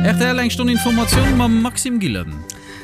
Rtl eng Stonn Informatioun mam Maxime Gillen.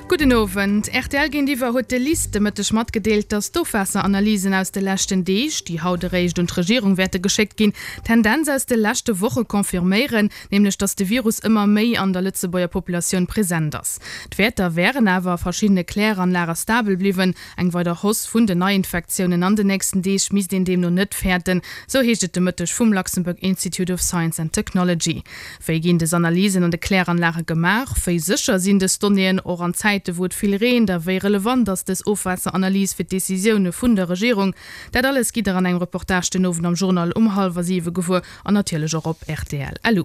Gudden Owend. Rtl géintiwwer huet de LIST de Mëtteg matgedeelt, datt d'Ofwaasseranalysen aus de leschten Deeg, déi haut eréischt un d'Regierung wäerte geschéckt ginn, d'Tendenz aus de leschte Woche confirméieren, nämlech datt de Virus ëmmer méi an der Lëtzebuerger Populatioun present ass. D'Wäerter wären awer a verschiddene Kläranlage stabel bliwwen. Eng weider Hausse vun den Neiinfektiounen an den nächsten Deeg misst een deemno net fäerten, sou heescht et de Mëtteg vum Luxembourg Institute of Science and Technology. Wéi ginn des Analysen an de Kläranlage gemaach? Wéi sécher sinn dës Donnéeën, och an Zäite wou et vill reent? A wéi relevant ass dës Ofwaasseranalys fir d'Decisioune vun der Regierung? Dat alles gitt der an engem Reportage den Owend am Journal um hallwer siwe gewuer an natierlech och op rtl. Lu.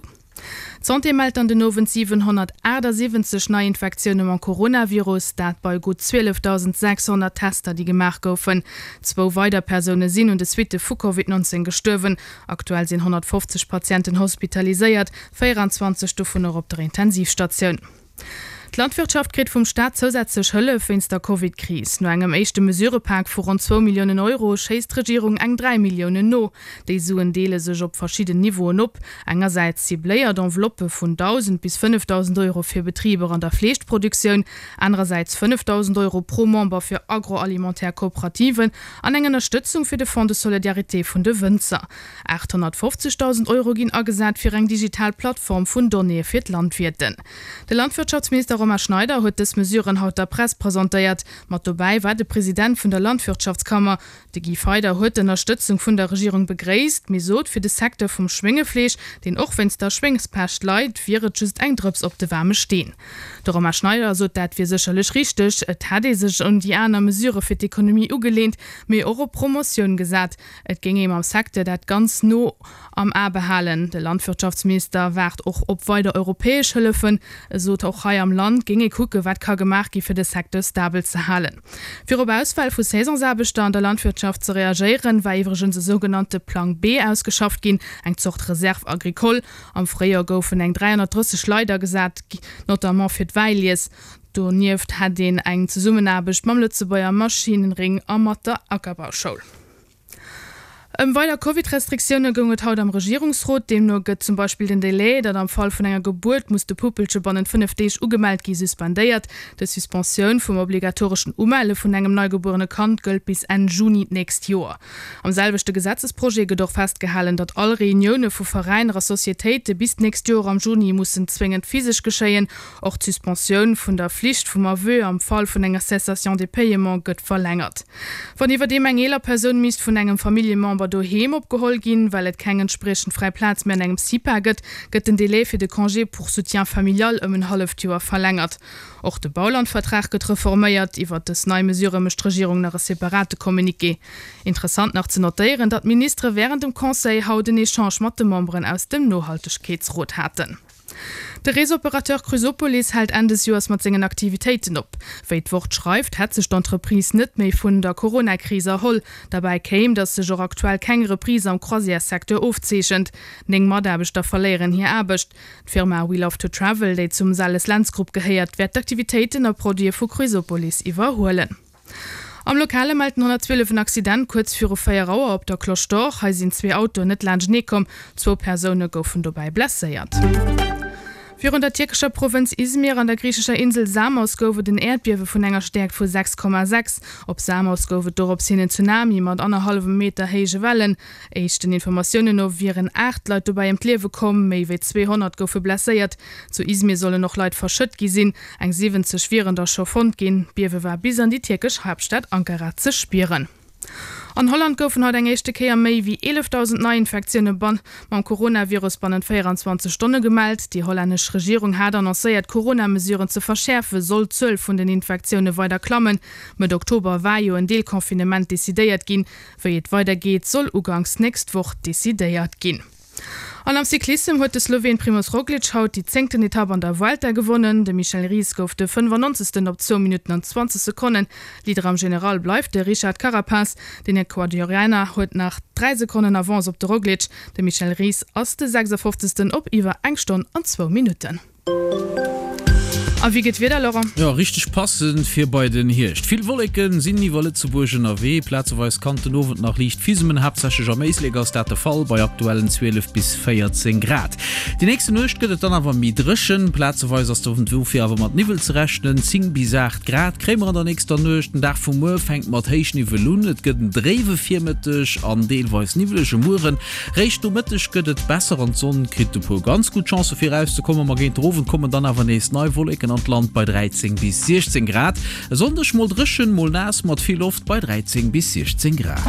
D'Santé mellt dann den Owend 778 Neiinfektioune mam Coronavirus, dat bei gutt 12.600 Tester, déi gemaach goufen. Zwou weider Persoune sinn un de Suitte vu Covid 19 gestuerwen. Aktuell sinn 150 Patienten hospitaliséiert, 24 dovunner op der Intensivstatioun. D'Landwirtschaft kritt vum Staat zousätzlech Hëllef wéinst der Covid-Kris. No engem éischte Mesurëpak vu ronn zwou Milliounen Euro schéisst d'Regierung eng 3 Milliounen no. Déi Suen deele sech op verschidden Niveauen op. Engersäits cibléiert Enveloppë vun 1.000 bis 5.000 Euro fir Betriber an der Fleeschproduktioun, anerersäits 5.000 Euro pro Member fir agroalimentaire Kooperativen an eng Ënnerstëtzung fir de Fonds de solidarité vun de Wënzer. 850.000 Euro ginn agesat fir eng digital Plattform vun Donnéeë fir d'Landwierten. De Landwirtschaftsminister Romain Schneider huet dës Mesuren haut der Press presentéiert. Mat dobäi war de President vun der Landwirtschaftskammer. De Guy Feyder huet d'Ënnerstëtzung vun der Regierung begréisst, mee sot, fir de Secteur vum Schwéngefleesch, deen och wéinst der Schwéngspescht leit, wier et just eng Drëps op de waarme Steen. De Romain Schneider sot, dat wier sécherlech richteg, et hätt ee sech un déi aner Mesurë fir d'Ekonomie ugeleent, mee och op Promotioun gesat. Et géing ee mam Secteur dat ganz no am A behalen. De Landwirtschaftsminister waart och op weider europäesch Hëllefen. E sot, och hei am Land géing ee kucke wat ka gemaach gi fir de Secteur stabel ze halen. Fir op Ausfäll vu Saisonsaarbechter an der Landwirtschaft ze reagéieren, war iwwregens e sougenannte Plang B ausgeschafft ginn, eng Zort Reserve agricole. Am Fréijoer goufen eng 330 Leit agesat, notamment fir d'Wäilies. Donieft hätt een eng Zesummenaarbecht mam Lëtzebuerger Maschinenring a mat der Ackerbauschoul. Ëm weider Covid-Restriktioune goung et haut am Regierungsrot. Deemno gëtt zum Beispill den Delai, datt am Fall vun enger Gebuert muss de Puppelche bannent 5 Deeg ugemellt gi, suspendéiert. Dës Suspensioun vum obligatoreschen Umelle vun engem neigebuerene Kand gëllt bis Enn Juni d'nächst Joer. Am selwechte Gesetzesprojet gëtt och festgehalen, datt all Reunioune vu Veräiner a Societéite bis d'nächst Joer am Juni mussen zwéngend physesch geschéien. Och d'Suspensioun vun der Flicht vum Aveu am Fall vun enger Cessation de paiement gëtt verlängert. Wann iwwerdeem eng eeler Persoun misst vun engem Familljemember doheem opgeholl ginn, well et keng entspriechend fräi Plaz méi an engem CIPA gëtt, gëtt den Délai fir de Congé pour soutien familial ëm en halleft Joer verlängert. Och de Baulandvertrag gëtt reforméiert. Iwwert dës nei Mesure mécht d'Regierung nach e separate Communiqué. Interessant nach ze notéieren, datt d'Ministere wärend dem Conseil haut en Echange mat de Memberen aus dem Nohaltegkeetsrot haten. De Reesoperateur Cruisopolis hält Enn des Joers mat sengen Aktivitéiten op. Wéi d'Wort schreift, hätt sech d'Entreprise net méi vun der Corona-Kris erholl. Derbäi kéim, datt sech och aktuell keng Reprise am Croisières-Secteur ofzeechent. 9 Mataarbechter verléieren hir Aarbecht. D'Firma We Love to Travel, déi zum Sales-Lentz Grupp gehéiert, wäert d'Aktivitéiten a Produite vu Cruisopolis iwwerhuelen. Am Lokale mellt den 112 en Accident kuerz viru 4 Auer op der Cloche d'Or. Hei sinn zwee Autoen net laanschtenee komm. Zwou Persoune goufen dobäi blesséiert. Virun der tierkescher Provënz Izmir an der griichescher Insel Samos gouf et en Äerdbiewe vun enger Stäerkt vu 6,6. Op Samos gouf et dorops hin en Tsunami mat annerhallwem Meter héije Wellen. Éischten Informatiounen no wieren 8 Leit dobäi ëm d'Liewe komm, méi wéi 200 goufe blesséiert. Zu Izmir sollen och Leit verschëtt gi sinn. Eng 70 wieren der scho fonnt ginn. D'Biewe war bis an déi tierkesch Haaptstad Ankara ze spieren. An Holland goufen haut eng éischte Kéier méi wéi 11.000 Neiinfektioune mam Coronavirus bannent 24 Stonne gemellt. Déi hollännesch Regierung hat annoncéiert, d'Corona-Mesuren ze verschäerfen, sollt d'Zuel vun den Infektioune weider klammen. Mëtt Oktober war jo en Deelconfinement decidéiert ginn. Wéi et weidergeet, soll uganks nächst Woch decidéiert ginn. An am Cyclissem huet de Sloween Primoz Roglic haut déi zéngten Etapp an der Vuelta gewonnen. De Michel Ries gouf de 95. op zwou Minutten an 20 Sekonnen. Leader am General bleift de Richard Carapaz. Den Ecuadorianer huet nach 3 Sekonnen Avance op de Roglic. De Michel Ries ass de 56. op iwwer eng Stonn an zwou Minutten. A wéi gëtt d'Wieder, Laurent? Jo, richteg passend fir bei den Hierscht. Vill Wolleke sinn iwwer Lëtzebuerg ënnerwee, plazeweis kann den Owend nach liicht fisemen, haaptsächlech am Éislek ass dat de Fall, bei aktuellen 12 bis 14 Grad. Déi nächste Nuecht gëtt et dann awer méi dréchen, plazeweis ass dofir awer mat Niwwel ze rechnen. 10 bis 8 Grad kréie mer an der nächster Nuecht. Den Dag vu muer fänkt mat Héichniwwel un, et gëtt en dréiwe Virmëtteg an deelweis niwwelege Mueren. Réischt no Mëtteg gëtt et besser an d'Sonn kritt e puer ganz gutt Chancë fir erauszekommen, ma géint den Owend kommen dann awer nees nei Wolleken an d'Land bei 13 bis 16 Grad. E Sonndeg mol dréchen, mol naass mat vill Loft bei 13 bis 16 Grad.